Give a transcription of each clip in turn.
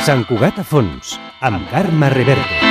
Sant Cugat a fons, amb Carme Reverte.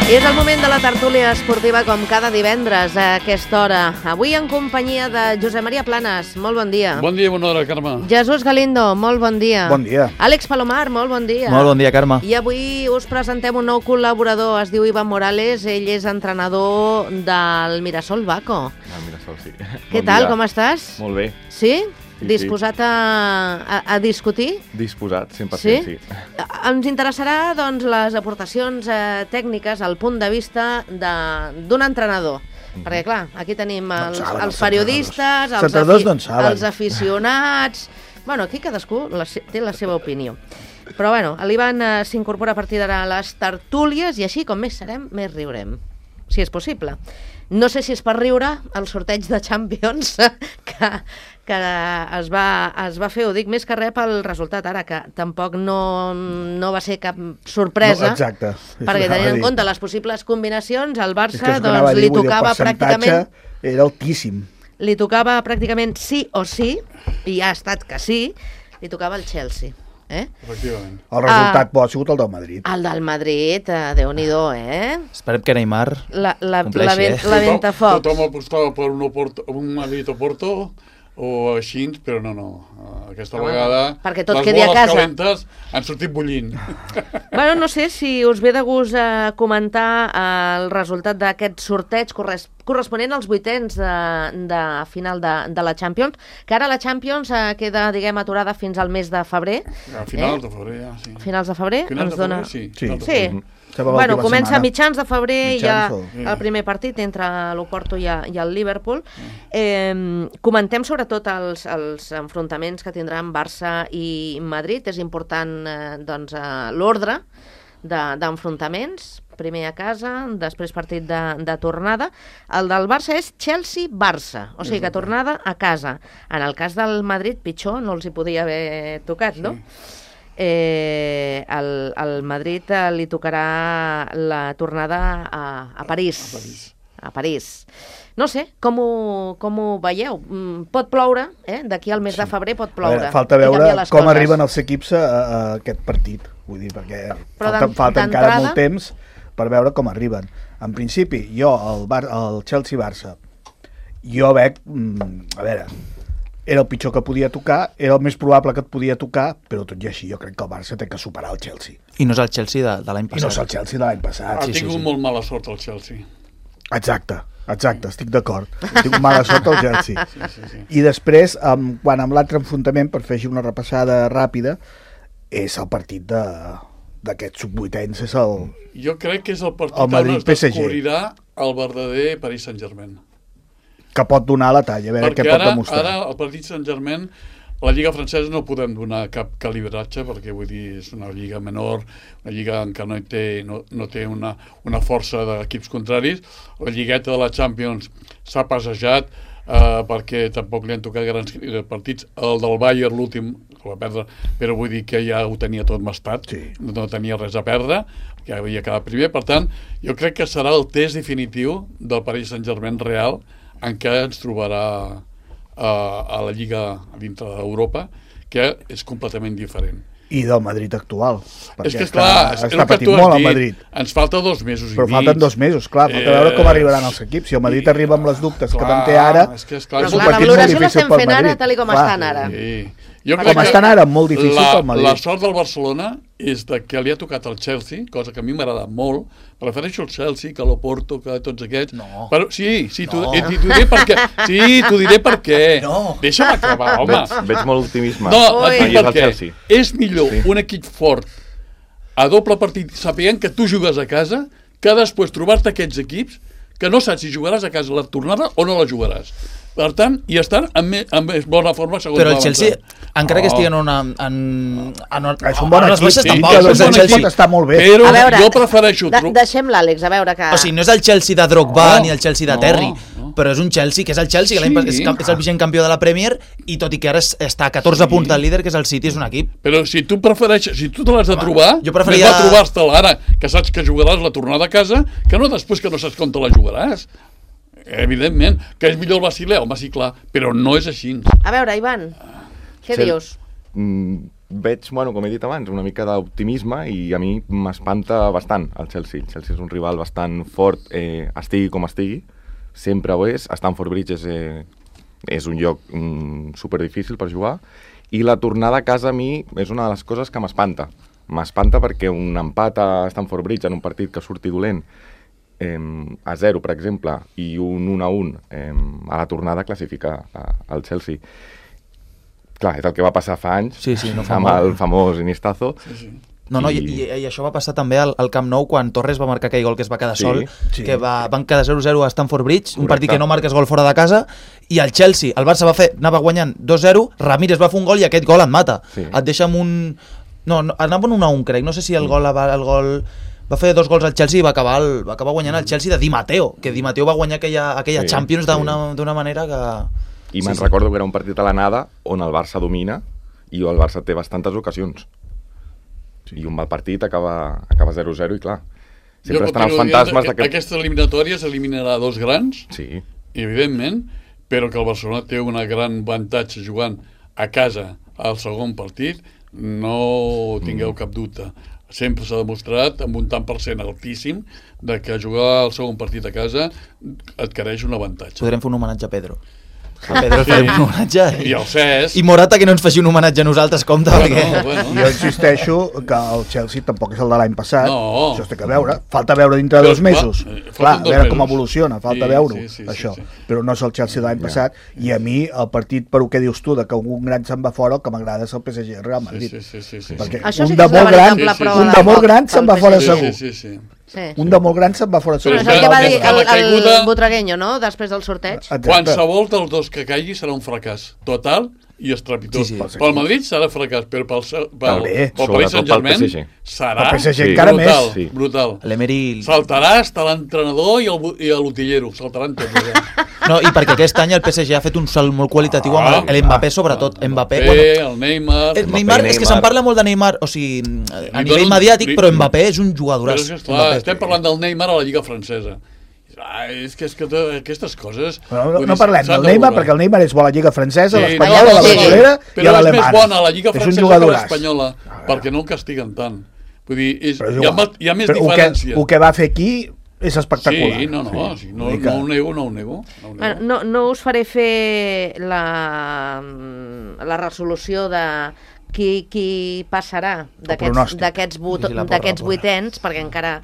És el moment de la tertúlia esportiva com cada divendres a aquesta hora. Avui en companyia de Josep Maria Planes, molt bon dia. Bon dia, bona hora, Carme. Jesús Galindo, molt bon dia. Bon dia. Àlex Palomar, molt bon dia. Molt bon dia, Carme. I avui us presentem un nou col·laborador, es diu Ivan Morales, ell és entrenador del Mirasol Baco. El Mirasol, sí. Què tal, com estàs? Molt bé. Sí? Sí, disposat a discutir? Disposat, 100%, sí. sí. Ens interessarà doncs, les aportacions tècniques, el punt de vista d'un entrenador. Perquè, clar, aquí tenim els periodistes, els aficionats... Bueno, aquí cadascú té la seva opinió. Però, bueno, l'Ivan s'incorpora a partir d'ara a les tertúlies i així, com més serem, més riurem, si és possible. No sé si és per riure el sorteig de Champions que es va fer, ho dic més que res pel resultat ara, que tampoc no va ser cap sorpresa. No, exacte. Perquè tenint en compte les possibles combinacions, al Barça doncs, li tocava pràcticament... Era altíssim. Li tocava pràcticament sí o sí, i ha estat que sí, li tocava el Chelsea. Efectivament. El resultat bo ha sigut el del Madrid. El del Madrid, Déu-n'hi-do, Esperem que Neymar compleixi, la ventafocs. Tothom apostava per un Madrid-Oporto o així, però no. Aquesta vegada perquè tot quedi a casa. Les boles calentes han sortit bullint. Bueno, no sé si us ve de gust comentar el resultat d'aquest sorteig corresponent als vuitens de final de la Champions, que ara la Champions queda, diguem, aturada fins al mes de febrer. A finals de febrer, ja, sí. Finals de febrer? Finals de febrer, sí. Sí. Bueno, comença a mitjans de febrer, hi ha el primer partit entre l'Oporto i el Liverpool. Comentem sobretot els enfrontaments que tindran Barça i Madrid. És important l'ordre d'enfrontaments. Primer a casa, després partit de tornada. El del Barça és Chelsea-Barça, o sigui que tornada a casa. En el cas del Madrid, pitjor, no els hi podia haver tocat, no? Al Madrid li tocarà la tornada a París. A París. No sé, com ho veieu? Pot ploure, d'aquí al mes de febrer pot ploure. Falta veure com arriben els equips a aquest partit, vull dir, perquè falta encara molt temps per veure com arriben. En principi, jo, el Chelsea-Barça, jo veig, a veure, era el pitjor que podia tocar, era el més probable que et podia tocar, però tot i així jo crec que el Barça té que superar el Chelsea. I no és el Chelsea de l'any passat. I no és el Chelsea de l'any passat. Ha tingut molt mala sort el Chelsea. Exacte, estic d'acord. Ha tingut mala sort el Chelsea. Sí. I després, quan amb l'altre enfrontament, per fer una repassada ràpida, és el partit d'aquests sub-vuitens, és el... Jo crec que és el partit on es descobrirà el verdader Paris Saint-Germain. Que pot donar la talla, a veure què pot demostrar. Ara el partit Saint-Germain, la Lliga francesa no podem donar cap calibratge, perquè vull dir, és una lliga menor, una lliga en què no té una força d'equips contraris. La lligueta de la Champions s'ha passejat perquè tampoc li han tocat grans partits. El del Bayern, l'últim, que va perdre, però vull dir que ja ho tenia tot mastat, no tenia res a perdre, que havia quedat primer. Per tant, jo crec que serà el test definitiu del Paris Saint-Germain real, en què ens trobarà a la Lliga dintre d'Europa, que és completament diferent. I del Madrid actual, perquè és que, està patint molt el Madrid. Ens falta 2 mesos i mig. Però falten 2 mesos, clar, falta veure com arribaran els equips. Si el Madrid arriba amb les dubtes que en té ara, és la valoració l'estem fent ara tal com estan ara. Com estan ara, molt difícil pel Madrid. La sort del Barcelona és que li ha tocat el Chelsea, cosa que a mi m'agrada molt. Prefereixo el Chelsea que l'Oporto, que tots aquests. No. Però, sí, t'ho diré per què. Sí, t'ho diré per què. No. Deixa'm acabar, home. Veig molt optimisme. No, et dic per què. És millor un equip fort a doble partit, sapient que tu jugues a casa, que després trobar-te aquests equips que no saps si jugaràs a casa la tornada o no la jugaràs. Per tant, i estan en més bona forma segons però el Chelsea, encara que estigui en és un bon equip, tampoc està molt bé. Però jo prefereixo... Deixem l'Àlex, a veure que... O sigui, no és el Chelsea de Drogba ni el Chelsea de Terry, però és un Chelsea que és el Chelsea, que és el vigent campió de la Premier, i tot i que ara està a 14 punts del líder, que és el City, és un equip. Però si tu prefereixes, si tu te l'has de trobar, jo preferiria trobar-te-la ara, que saps que jugaràs la tornada a casa, que no després que no saps com te la jugaràs. Evidentment, que és millor el Basilea, home, sí, clar, però no és així. A veure, Ivan, què dius? Veig, bueno, com he dit abans, una mica d'optimisme i a mi m'espanta bastant el Chelsea. El Chelsea és un rival bastant fort, estigui com estigui, sempre ho és. Stamford Bridge és un lloc superdifícil per jugar i la tornada a casa a mi és una de les coses que m'espanta. M'espanta perquè un empat a Stamford Bridge en un partit que surti dolent a 0, per exemple, i un 1-1 a la tornada classifica el Chelsea. Clar, és el que va passar fa anys, amb el famós Inistazo. No, i això va passar també al Camp Nou quan Torres va marcar aquell gol que es va quedar sol, que van quedar 0-0 a Stamford Bridge, un partit que no marques gol fora de casa, i el Chelsea, el Barça anava guanyant 2-0, Ramírez va fer un gol i aquest gol et mata. Et deixa amb un... No, anava en 1-1, crec, no sé si el gol va fer 2 gols al Chelsea i va acabar guanyant el Chelsea de Di Matteo, que Di Matteo va guanyar aquella Champions d'una manera que... I me'n recordo que era un partit a l'anada on el Barça domina i el Barça té bastantes ocasions. I un mal partit acaba 0-0 i clar, sempre estan els fantasmes d'aquest... Aquesta eliminatòria s'eliminarà 2 grans, sí, evidentment, però que el Barcelona té un gran avantatge jugant a casa al segon partit, no tingueu cap dubte. Sempre s'ha demostrat amb un tant per cent altíssim de que jugar el segon partit a casa adquireix un avantatge. Podrem fer un homenatge a Pedro. A Pedro farem un homenatge i el Cesc i Morata que no ens faci un homenatge a nosaltres, compte, perquè... Jo insisteixo que el Chelsea tampoc és el de l'any passat, això es té que veure, falta veure dintre de 2 mesos, clar, a veure com evoluciona, falta veure-ho, això, però no és el Chelsea de l'any passat, i a mi el partit, per el que dius tu, de que un gran se'n va fora, el que m'agrada és el PSG Real Madrid, perquè un de molt gran se'n va fora segur. Un de molt gran se'n va fora segur. És el que va dir el Butragueño, no?, després del sorteig. Qualsevol dels dos que caigui serà un fracàs total i estrepitós. Pel Madrid serà fracàs, però pel Paris Saint-Germain serà brutal. Saltarà hasta l'entrenador i l'utillero, saltaran tots. No, i perquè aquest any el PSG ha fet un salt molt qualitatiu amb l'Mbappé, sobretot. El Neymar... Neymar, és que se'n parla molt de Neymar, o sigui, a nivell mediàtic, però Mbappé és un jugadoràs. Estem parlant del Neymar a la Lliga Francesa. És que aquestes coses... No parlem del Neymar, perquè el Neymar és bo a la Lliga Francesa, a l'Espanyola, a la Brasilera i a l'Alemana. Però és més bona a la Lliga Francesa que l'Espanyola, perquè no el castiguen tant. Vull dir, hi ha més diferència. El que va fer aquí és espectacular. Sí, no ho nego. No us faré fer la resolució de qui passarà d'aquests vuitens, perquè encara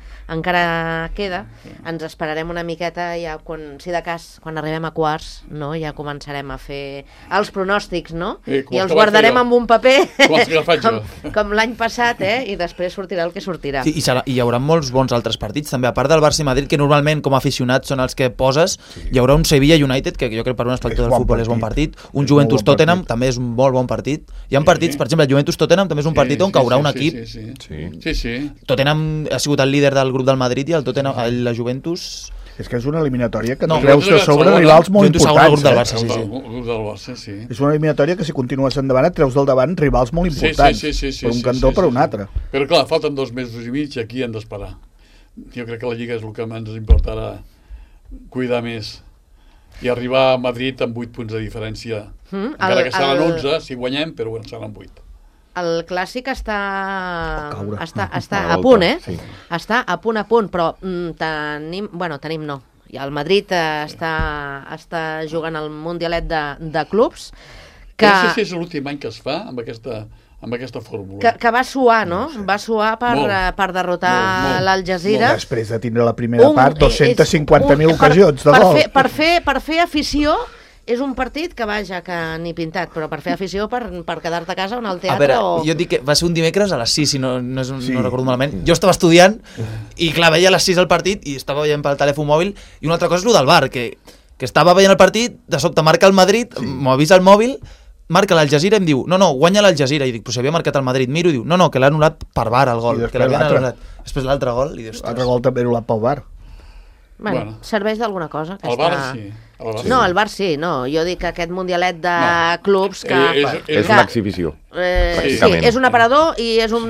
queda. Ens esperarem una miqueta, ja si de cas, quan arribem a quarts, ja començarem a fer els pronòstics, no? I els guardarem amb un paper com l'any passat, i després sortirà el que sortirà. I hi haurà molts bons altres partits també, a part del Barça i Madrid, que normalment com a aficionats són els que poses. Hi haurà un Sevilla United, que jo crec per un espectador del futbol és bon partit, un Juventus Tottenham també és un molt bon partit. Hi ha partits, per exemple, el Juventus-Tottenham també és un partit on caurà un equip. Sí. Tottenham ha sigut el líder del grup del Madrid i la Juventus... És que és una eliminatòria que treus de sobre rivals molt importants. És una eliminatòria que si continues endavant et treus del davant rivals molt importants, per un cantó o per un altre. Però clar, falten 2 mesos i mig i aquí hem d'esperar. Jo crec que la Lliga és el que ens importarà cuidar més i arribar a Madrid amb 8 punts de diferència. Encara que seran 11, si guanyem, però seran 8. El Clàssic està a punt, Està a punt, però tenim no. I el Madrid està jugant el Mundialet de clubs. No sé si és l'últim any que es fa amb aquesta fórmula. Que va suar, no? Va suar per derrotar l'Al-Jazeera. Després de tindre la primera part, 250.000 ocasions de gol. Per fer afició... És un partit que que ni pintat, però per fer afició, per quedar-te a casa o anar al teatre. A veure, jo et dic que va ser un dimecres a les 6, si no recordo malament. Jo estava estudiant i clar, veia a les 6 el partit i estava veient pel telèfon mòbil. I una altra cosa és el del VAR, que estava veient el partit, de sobte marca el Madrid, m'avisa el mòbil, marca l'Al-Jazeera i em diu, no, guanya l'Al-Jazeera. I dic, però si havia marcat el Madrid, miro i diu, no, que l'ha anul·lat per VAR el gol. Després l'altre gol. L'altre gol també anul·lat pel VAR. Bueno, serveix d'alguna cosa. El VAR sí. No, el VAR sí, no. Jo dic que aquest mundialet de clubs que... És una exhibició. Sí, és un aparador i és un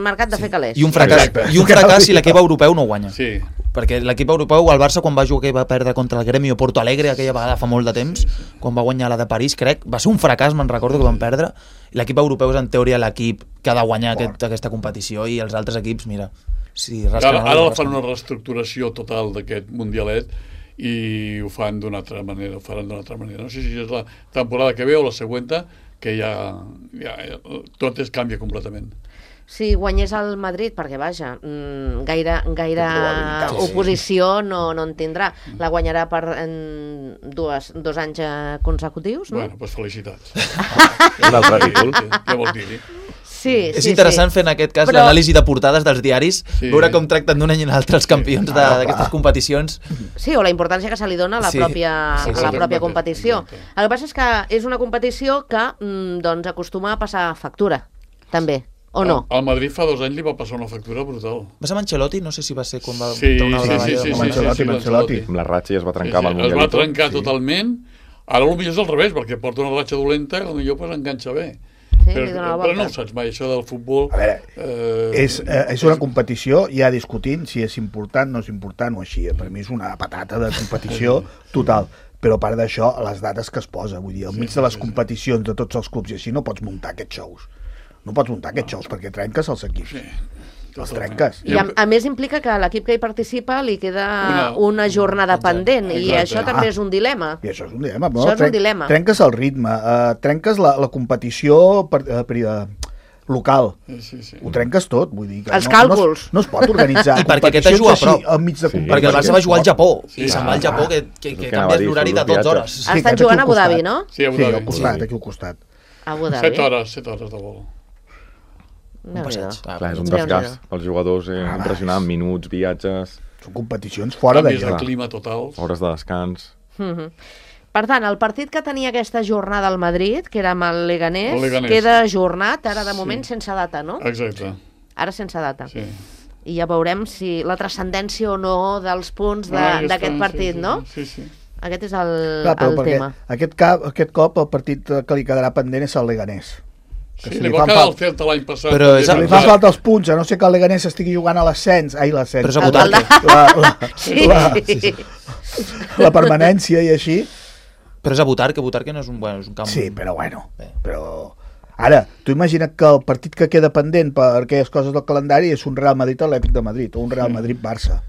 mercat de fer calés. I un fracàs si l'equip europeu no guanya. Sí. perquè l'equip europeu, el Barça, quan va jugar, va perdre contra el Gremio Porto Alegre aquella vegada fa molt de temps, quan va guanyar la de París, crec, va ser un fracàs, me'n recordo que van perdre, i l'equip europeu és en teoria l'equip que ha de guanyar aquesta competició, i els altres equips, mira, si ara fan una reestructuració total d'aquest mundialet i ho fan d'una altra manera, ho faran d'una altra manera. No sé si és la temporada que ve o la següent, que ja tot es canvia completament. Si guanyés el Madrid, perquè vaja, gaire oposició no en tindrà. La guanyarà per dos anys consecutius, no? Bueno, doncs felicitats. Un altre títol. Què vols dir-hi? És interessant fer en aquest cas l'anàlisi de portades dels diaris, veure com tracten d'un any en l'altre els campions d'aquestes competicions. Sí, o la importància que se li dona a la pròpia competició. El que passa és que és una competició que acostuma a passar factura, també. O no? Al Madrid fa 2 anys li va passar una factura brutal. Va ser amb Ancelotti? No sé si va ser quan va... Sí, Ancelotti. Amb la ratxa ja es va trencar amb el Mundialito. Es va trencar totalment. Ara potser és al revés, perquè porta una ratxa dolenta que potser enganxa bé. Però no ho saps mai, això del futbol. A veure, és una competició, ja discutint si és important, no és important o així. Per mi és una patata de competició total. Però a part d'això, les dates que es posa, vull dir, al mig de les competicions de tots els clubs i així no pots muntar aquests shows. No pots muntar aquests shows perquè trenques els equips. Els trenques. I a més implica que a l'equip que hi participa li queda una jornada pendent i això també és un dilema. I això és un dilema. Això és un dilema. Trenques el ritme, trenques la competició local. Ho trenques tot, vull dir que els càlculs. No es pot organitzar. I perquè aquest juga a prop. Perquè el Barça va jugar al Japó i se'n va al Japó que canvia l'horari de 12 hores. Estan jugant a Abu Dhabi, no? Sí, a Abu Dhabi. Aquí al costat. Abu Dhabi. 7 hores de vol. Clar, és un desgast pels jugadors impressionant, minuts, viatges... Són competicions fora de lloc. Canvis de clima totals. Hores de descans. Per tant, el partit que tenia aquesta jornada al Madrid, que era amb el Leganés, queda ajornat, ara de moment sense data, no? Exacte. Ara sense data. Sí. I ja veurem si la transcendència o no dels punts d'aquest partit, no? Sí, sí. Aquest és el tema. Aquest cop el partit que li quedarà pendent és el Leganés. Sí, li va quedar el Celta l'any passat. Però li fa falta els punts, a no ser que el Leganés estigui jugant a l'ascens. Ai, l'ascens. Però és a Butarque. La permanència i així. Però és a Butarque no és un camp... Sí, però bueno. Ara, tu imagina't que el partit que queda pendent per aquelles coses del calendari és un Real Madrid-Atlètic de Madrid o un Real Madrid-Barça.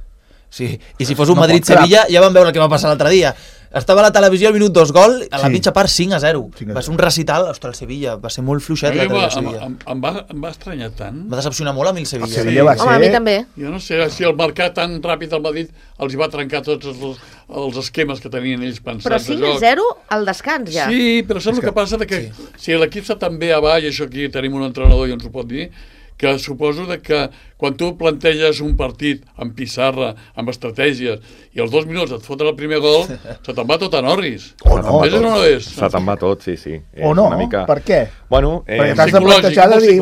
Sí, i si fos un Madrid-Sevilla ja vam veure el que va passar l'altre dia. Estava a la televisió al minut 2 gol, a la mitja part 5-0. Va ser un recital, ostres, el Sevilla, va ser molt fluixet l'altre dia Sevilla. Em va estranyar tant. Va decepcionar molt a mi el Sevilla. El Sevilla va ser... Home, a mi també. Jo no sé si el marcar tan ràpid al Madrid els va trencar tots els esquemes que tenien ells pensats. Però 5-0 al descans ja. Sí, però saps el que passa? Que si l'equip està tan bé avall, això aquí tenim un entrenador i ens ho pot dir, que suposo que quan tu planteges un partit amb pissarra, amb estratègies, i als 2 minuts et foten el primer gol, se te'n va tot a Norris. O no. No és? Se te'n va tot, sí. O no, per què? Bueno, perquè t'has de plantejar de dir,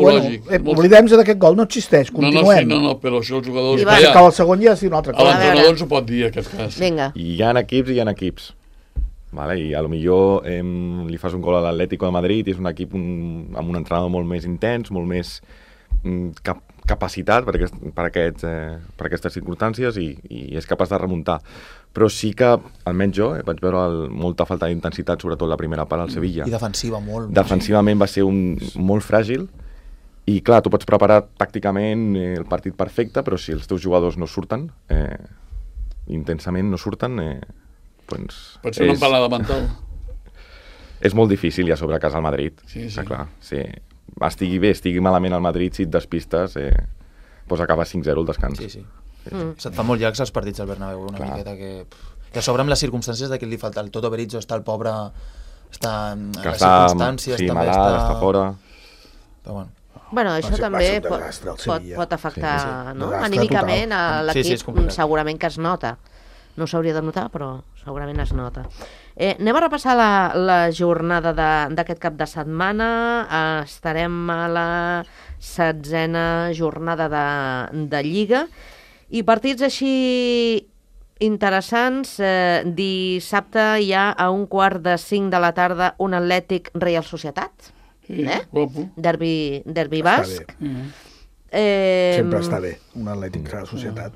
oblidem-nos d'aquest gol, no existeix, continuem. No, però això els jugadors... I que el segon ja és una altra cosa. L'entrenador ens ho pot dir, aquest cas. Vinga. I hi ha equips. Vale, i a lo millor li fas un gol a l'Atlético de Madrid i és un equip amb un entrenador molt més intens, molt més capacitat per aquestes circumstàncies i és capaç de remuntar. Però sí que, almenys jo, vaig veure molta falta d'intensitat, sobretot la primera part al Sevilla. I defensiva molt. Defensivament va ser molt fràgil i clar, tu pots preparar tàcticament el partit perfecte, però si els teus jugadors no surten, intensament no surten, doncs... Pot ser una empalada mental. És molt difícil, ja sobre casa al Madrid. Sí. Clar, sí. Estigui bé, estigui malament al Madrid, si et despistes, doncs acaba 5-0 el descans. Sí. Se't fa molt llargs els partits al Bernabéu, una miqueta que a sobre amb les circumstàncies de que li falta el Toto Berizzo, està el pobre, està en les circumstàncies, sí, també està fora. Però bueno, això també pot afectar anímicament a l'equip, segurament que es nota. No s'hauria de notar, però segurament es nota. Anem a repassar la jornada d'aquest cap de setmana. Estarem a la 16a jornada de Lliga. I partits així interessants. Dissabte hi ha a 4:45 de la tarda un Atlètic Reial Societat. Derbi basc. Sempre està bé, un Atlètic Reial Societat.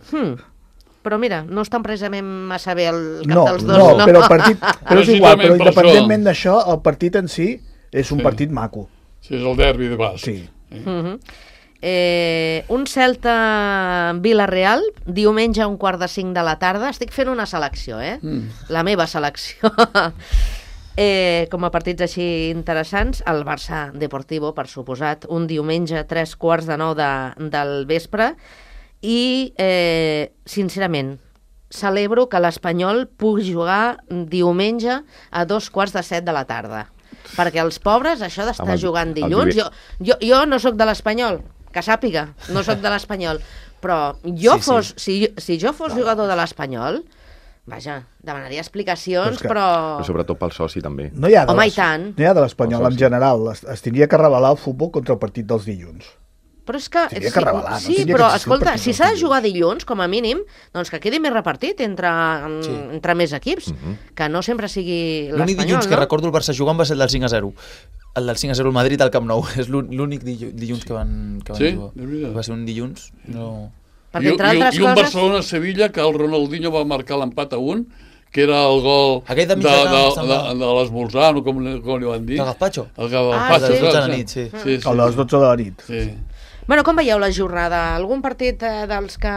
però mira, no estan precisament massa bé el cap dels dos. No, però el partit... Però és igual, però independentment d'això, el partit en si és un partit maco. Sí, és el derbi de Basc. Sí. Un Celta Vila-real, diumenge a 4:45 de la tarda. Estic fent una selecció, la meva selecció. Com a partits així interessants, el Barça Deportivo, per suposat, un diumenge a 8:45 del vespre, i sincerament celebro que l'Espanyol pugui jugar diumenge a 6:45 de la tarda, perquè els pobres això d'estar jugant dilluns, jo no sóc de l'Espanyol, que sàpiga, no sóc de l'Espanyol, però si jo fos jugador de l'Espanyol, vaja, demanaria explicacions, però sobretot pel soci també. Home, i tant. No hi ha de l'Espanyol en general, es tindria que revelar el futbol contra el partit dels dilluns. Però és que... Sí, però escolta, si s'ha de jugar dilluns, com a mínim, doncs que quedi més repartit entre més equips, que no sempre sigui l'Espanyol, no? L'únic dilluns que recordo el Barça jugant va ser el del 5-0. El del 5-0 al Madrid al Camp Nou. És l'únic dilluns que van jugar. Va ser un dilluns, no... Perquè, entre altres coses... I un Barcelona-Sevilla, que el Ronaldinho va marcar l'empat a 1, que era el gol de l'esmorzar, no, com li van dir. El gazpacho? El gazpacho, de les 12 de la nit, sí. A les 12 de la nit. Sí. Bueno, com veieu la jornada? Algun partit dels que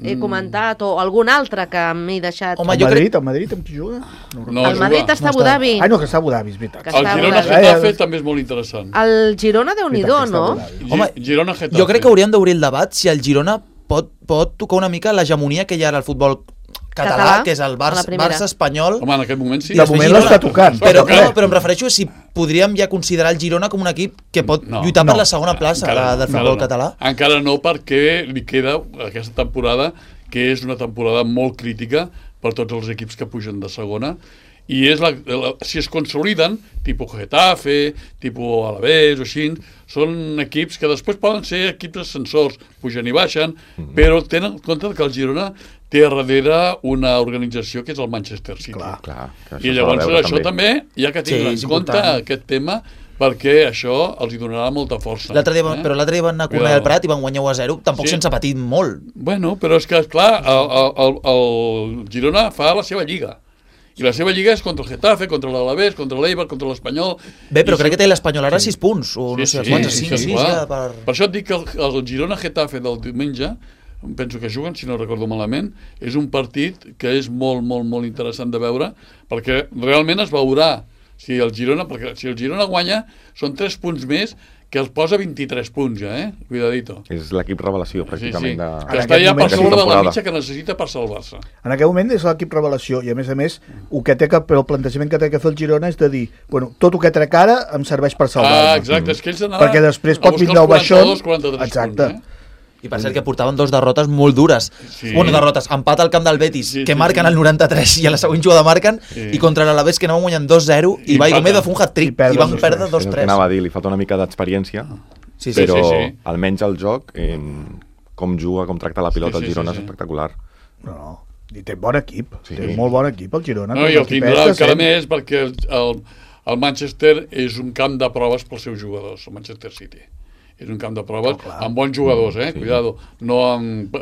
he comentat o algun altre que m'he deixat? Home, el Madrid amb qui juga? El Madrid està a Abu Dhabi. Ah, no, que està a Abu Dhabi, és veritat. El Girona-Getafe també és molt interessant. El Girona, Déu-n'hi-do, no? Home, jo crec que hauríem d'obrir el debat si el Girona pot tocar una mica l'hegemonia que hi ha al futbol català, que és el Barça espanyol. Home, en aquest moment sí. De moment l'està tocant. Però em refereixo a si podríem ja considerar el Girona com un equip que pot lluitar per la segona plaça del futbol català. Encara no, perquè li queda aquesta temporada, que és una temporada molt crítica per tots els equips que pugen de segona, i si es consoliden, tipus Getafe, tipus Alavés o així, són equips que després poden ser equips ascensors, pugen i baixen, però tenen en compte que el Girona té a darrere una organització que és el Manchester City. Clar, i llavors això també hi ha que tenir en compte aquest tema, perquè això els hi donarà molta força. Però l'altre dia van anar a Cornellà del Prat i van guanyar 1-0, tampoc sense patir molt. Bueno, però és que, esclar, el Girona fa la seva lliga. I la seva lliga és contra el Getafe, contra l'Alavés, contra l'Eibar, contra l'Espanyol... Bé, però crec que té l'Espanyol ara 6 punts, o no sé quants, 5. Per això et dic que el Girona-Getafe del diumenge, penso que juguen, si no recordo malament, és un partit que és molt, molt, molt interessant de veure, perquè realment es veurà si el Girona guanya, són 3 punts més, que els posa 23 punts ja, Cuidadito. És l'equip revelació, pràcticament. Que està ja per sobre de la mitja que necessita per salvar-se. En aquest moment és l'equip revelació, i a més, el plantejament que té que fer el Girona és de dir, bueno, tot el que trec ara em serveix per salvar-me. Exacte, és que ells anaven perquè després pot vindre el baixón. 43 exacte. Punts, I per cert que portaven 2 derrotes molt dures. Una derrotes, empat al camp del Betis, que marquen al 93 i a la següent jugada marquen, i contra l'Alavés que anaven guanyant 2-0 i Vaigo Meda fa un hat-trick i van perdre 2-3. Anava a dir, li falta una mica d'experiència, però almenys el joc, com juga, com tracta la pilota el Girona és espectacular. No, i té bon equip, té molt bon equip el Girona. No, i el tindrà encara més perquè el Manchester és un camp de proves pels seus jugadors, el Manchester City. És un camp de proves amb bons jugadors, cuidado, no amb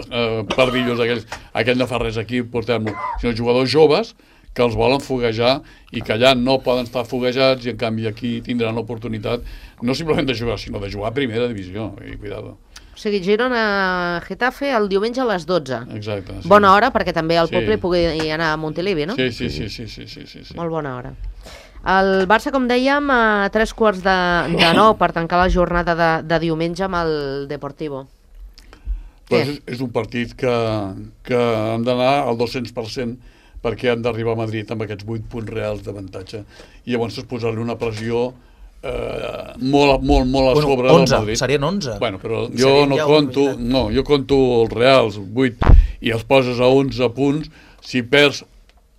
pardillos aquell no fa res aquí, portem-lo, sinó jugadors joves que els volen foguejar i que allà no poden estar foguejats i en canvi aquí tindran l'oportunitat no simplement de jugar, sinó de jugar a primera divisió, i cuidado. O sigui, Girona-Getafe el diumenge a les 12. Exacte. Bona hora, perquè també el poble pugui anar a Montilivi, no? Sí. Molt bona hora. El Barça, com dèiem, a 8:45 per tancar la jornada de diumenge amb el Deportivo. És un partit que han d'anar al 200% perquè han d'arribar a Madrid amb aquests 8 punts reals d'avantatge. I llavors posar-li una pressió molt a sobre del Madrid. Serien 11. Bueno, però jo no conto... No, jo conto els reals, 8, i els poses a 11 punts. Si perds,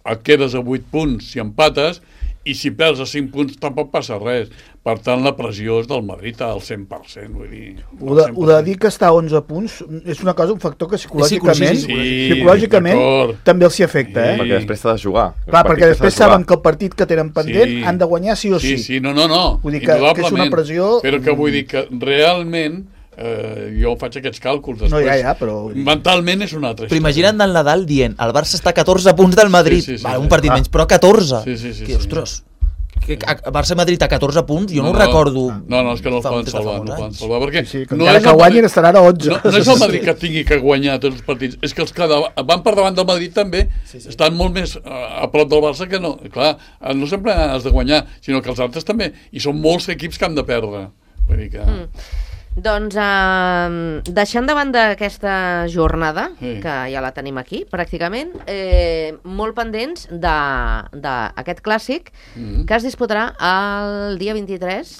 et quedes a 8 punts, si empates, i si perds a 5 punts tampoc passa res. Per tant, la pressió és del Madrid al 100%. Vull dir, ho de dir que està a 11 punts és una cosa, un factor que psicològicament també els hi afecta. Perquè després s'ha de jugar. Clar, perquè després saben que el partit que tenen pendent han de guanyar sí o sí. Sí, no. Vull dir que és una pressió... Però que vull dir que realment Jo faig aquests càlculs. Després, no, ja, però... Mentalment és una altra història. Però imagina't el Nadal dient el Barça està a 14 punts del Madrid. Un partit menys, però 14. Ostres, Barça-Madrid a 14 punts, jo no ho recordo. No, és que no els poden salvar. Perquè encara que guanyin estaran a 11. No és el Madrid que tingui que guanyar tots els partits, és que els que van per davant del Madrid també estan molt més a prop del Barça que no. Clar, no sempre has de guanyar, sinó que els altres també. I són molts equips que han de perdre. Vull dir que... Doncs deixant de banda aquesta jornada, que ja la tenim aquí, pràcticament, molt pendents d'aquest clàssic que es disputarà el dia 23,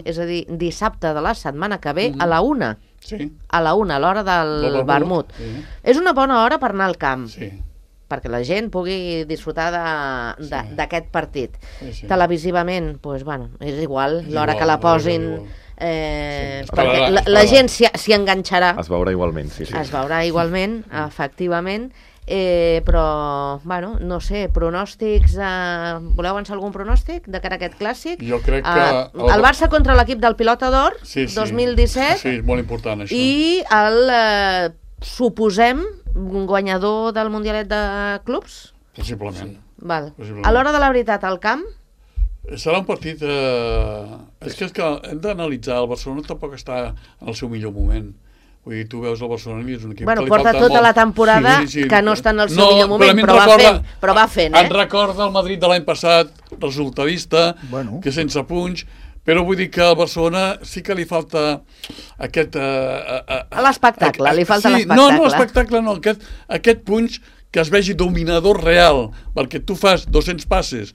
és a dir, dissabte de la setmana que ve, a la 1. A la 1, a l'hora del vermut. És una bona hora per anar al camp. Perquè la gent pugui disfrutar d'aquest partit. Televisivament, és igual, l'hora que la posin... perquè la gent s'hi enganxarà. Es veurà igualment, es veurà igualment, efectivament, però, no sé, pronòstics, voleu avançar algun pronòstic de cara a aquest clàssic? Jo crec que... El Barça contra l'equip del Pilota d'Or, 2017. Sí, és molt important, això. I el, suposem, guanyador del Mundialet de Clubs? Possiblement. A l'hora de la veritat, al camp? Serà un partit... És que hem d'analitzar. El Barcelona tampoc està en el seu millor moment. Vull dir, tu veus el Barcelona i és un equip que li falta porta tota la temporada que no està en el seu millor moment, però va fent. Em recorda el Madrid de l'any passat, resultadista, que sense punys, però vull dir que al Barcelona sí que li falta aquest... L'espectacle, li falta l'espectacle. No, l'espectacle no, aquest punys que es vegi dominador real, perquè tu fas 200 passes,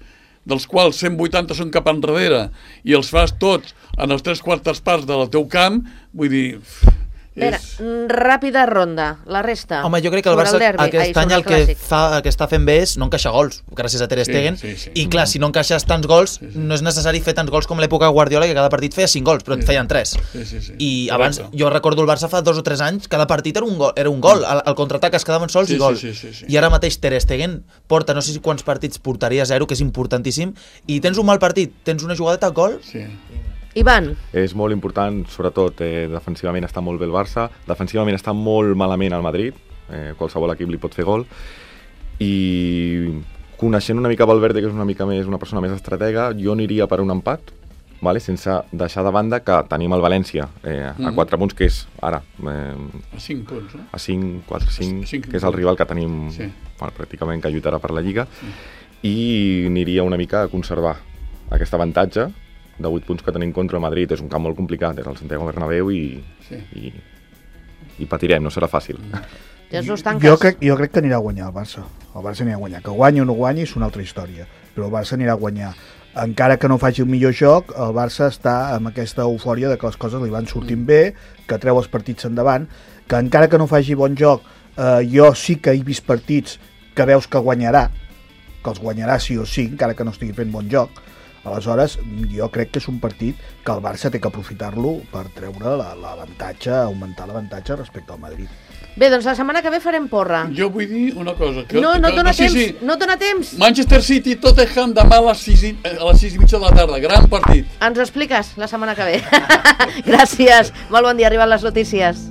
dels quals 180 són cap enrere, i els fas tots en els 3/4 parts del teu camp, vull dir... Ràpida ronda, la resta. Home, jo crec que el Barça aquest any el que està fent bé és no encaixar gols, gràcies a Ter Stegen, i clar, si no encaixes tants gols, no és necessari fer tants gols com l'època Guardiola, que cada partit feia 5 gols, però et feien 3. I abans, jo recordo el Barça fa 2 o 3 anys, cada partit era un gol, el contraatac es quedaven sols i gol. I ara mateix Ter Stegen porta, no sé si quants partits portaria 0, que és importantíssim, i tens un mal partit, tens una jugadeta a gol... Ivan. És molt important, sobretot defensivament està molt bé el Barça, defensivament està molt malament el Madrid, qualsevol equip li pot fer gol, i coneixent una mica Valverde, que és una persona més estratega, jo aniria per un empat, sense deixar de banda que tenim el València a 4 punts, que és ara... A 5 punts, no? A 5, 4, 5, que és el rival que tenim pràcticament que lluitarà per la Lliga, i aniria una mica a conservar aquest avantatge de 8 punts que tenim contra Madrid. És un camp molt complicat, és el Santiago Bernabéu i patirem, no serà fàcil. Jo crec que anirà a guanyar el Barça. El Barça anirà a guanyar. Que guanyi o no guanyi és una altra història, però el Barça anirà a guanyar. Encara que no faci un millor joc, el Barça està amb aquesta eufòria de que les coses li van sortint bé, que treu els partits endavant, que encara que no faci bon joc, jo sí que he vist partits que veus que guanyarà, que els guanyarà sí o sí, encara que no estigui fent bon joc. Aleshores, jo crec que és un partit que el Barça té que aprofitar-lo per treure l'avantatge, augmentar l'avantatge respecte al Madrid. Bé, doncs la setmana que ve farem porra. Jo vull dir una cosa. No dona temps, no dona temps. Manchester City, Tottenham, demà a les 6:30 de la tarda. Gran partit. Ens ho expliques la setmana que ve. Gràcies. Molt bon dia, arriben les notícies.